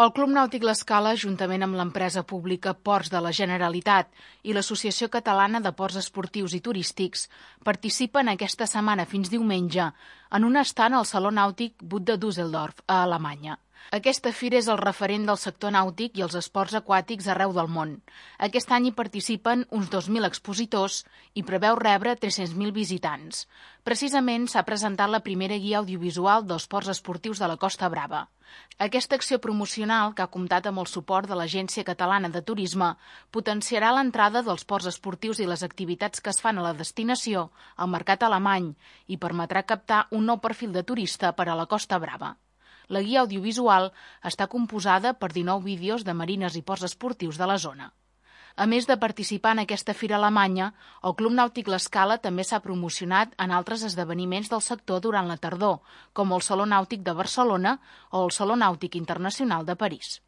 El Club Nàutic L'Escala, juntament amb l'empresa pública Ports de la Generalitat i l'Associació Catalana de Ports Esportius i Turístics, participen aquesta setmana fins diumenge en un estand al Saló Nàutic Bud de Düsseldorf, a Alemanya. Aquesta fira és el referent del sector nàutic i els esports aquàtics arreu del món. Aquest any hi participen uns 2.000 expositors i preveu rebre 300.000 visitants. Precisament s'ha presentat la primera guia audiovisual dels ports esportius de la Costa Brava. Aquesta acció promocional, que ha comptat amb el suport de l'Agència Catalana de Turisme, potenciarà l'entrada dels ports esportius i les activitats que es fan a la destinació al mercat alemany i permetrà captar un nou perfil de turista per a la Costa Brava. La guia audiovisual està composada per 19 vídeos de marines i ports esportius de la zona. A més de participar en aquesta fira alemanya, el Club Nàutic L'Escala també s'ha promocionat en altres esdeveniments del sector durant la tardor, com el Saló Nàutic de Barcelona o el Saló Nàutic Internacional de París.